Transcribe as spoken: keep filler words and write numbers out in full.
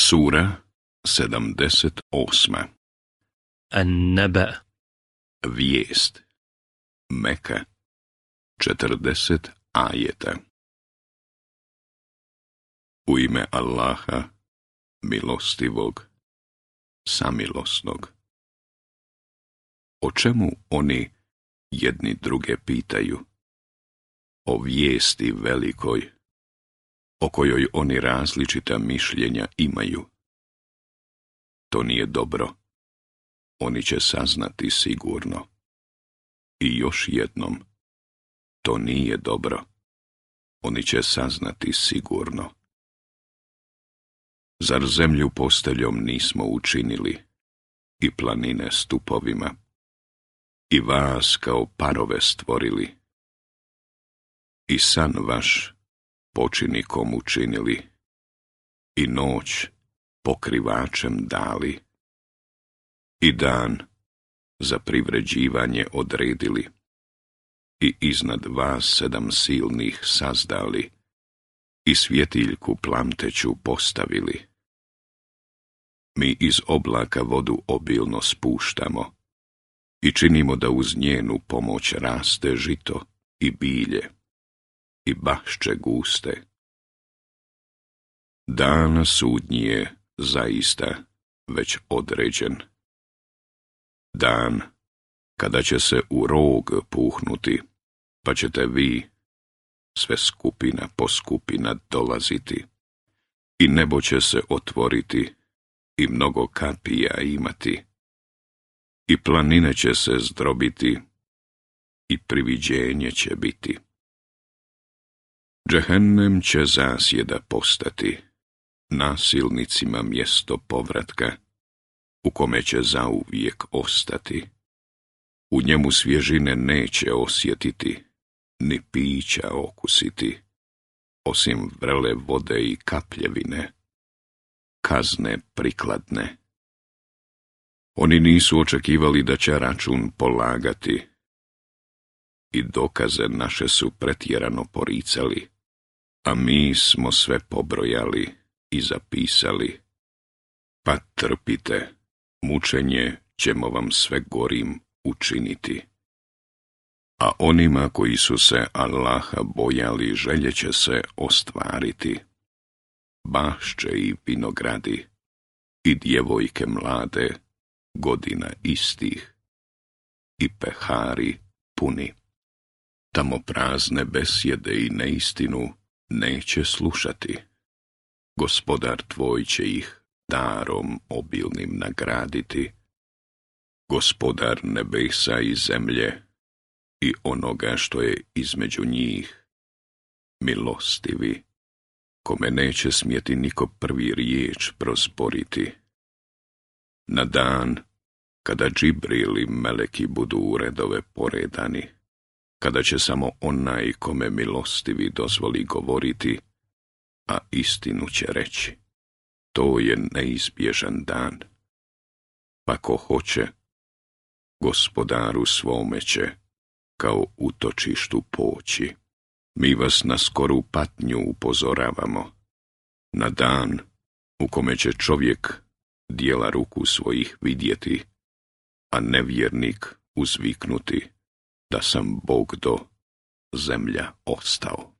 Sura sedamdeset osma. An-Naba. Vijest. Meka. četrdeset ajeta. U ime Allaha, milostivog, samilosnog. O čemu oni jedni druge pitaju? O vijesti velikoj, o kojoj oni različita mišljenja imaju. To nije dobro. Oni će saznati sigurno. I još jednom, to nije dobro. Oni će saznati sigurno. Zar zemlju posteljom nismo učinili, i planine stupovima, i vas kao parove stvorili, i san vaš počinikom učinili, i noć pokrivačem dali, i dan za privređivanje odredili, i iznad vas sedam silnih sazdali, i svjetiljku plamteću postavili. Mi iz oblaka vodu obilno spuštamo i činimo da uz njenu pomoć raste žito i bilje i bašče guste. Dan sudnji je zaista već određen. Dan kada će se u rog puhnuti, pa ćete vi, sve skupina po skupina, dolaziti, i nebo će se otvoriti i mnogo kapija imati, i planine će se zdrobiti i priviđenje će biti. Džehennem će zasjeda postati, nasilnicima mjesto povratka, u kome će zauvijek ostati. U njemu svježine neće osjetiti, ni pića okusiti, osim vrele vode i kapljevine, kazne prikladne. Oni nisu očekivali da će račun polagati, i dokaze naše su pretjerano poricali, a mi smo sve pobrojali i zapisali. Pa trpite, mučenje ćemo vam sve gorim učiniti. A onima koji su se Allaha bojali želje će se ostvariti. Bašče i vinogradi, i djevojke mlade, godina istih, i pehari puni. Tamo prazne besjede i neistinu neće slušati. Gospodar tvoj će ih darom obilnim nagraditi. Gospodar nebesa i zemlje i onoga što je između njih, milostivi, kome neće smjeti niko prvi riječ prosporiti. Na dan kada Džibril i meleki budu u redove poredani, kada će samo onaj kome milostivi dozvoli govoriti, a istinu će reći, to je neizbježan dan. Pa ko hoće, Gospodaru svome će kao utočištu poći. Mi vas na skoru patnju upozoravamo, na dan u kome će čovjek dijela ruku svojih vidjeti, a nevjernik uzviknuti da sam Bog do zemlja ostao.